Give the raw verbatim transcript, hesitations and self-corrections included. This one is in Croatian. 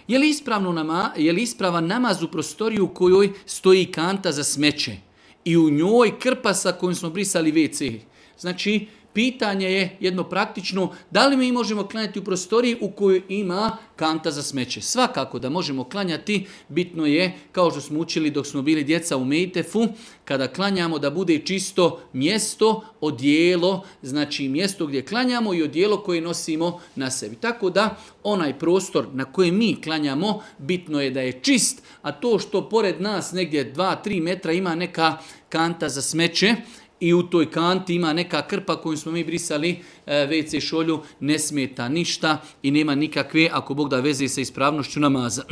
Je li, ispravno nama, je li ispravan namaz u prostoriju u kojoj stoji kanta za smeće i u njoj krpa sa kojom smo brisali ve ce? Znači, pitanje je jedno praktično, da li mi možemo klanjati u prostoriji u kojoj ima kanta za smeće? Svakako da možemo klanjati, bitno je, kao što smo učili dok smo bili djeca u Mejtefu, kada klanjamo da bude čisto mjesto, odijelo, znači mjesto gdje klanjamo i odijelo koje nosimo na sebi. Tako da onaj prostor na kojem mi klanjamo, bitno je da je čist, a to što pored nas negdje dva do tri metra ima neka kanta za smeće, i u toj kanti ima neka krpa koju smo mi brisali ve ce šolju, ne smeta ništa i nema nikakve, ako Bog da, veze sa ispravnošću namaza.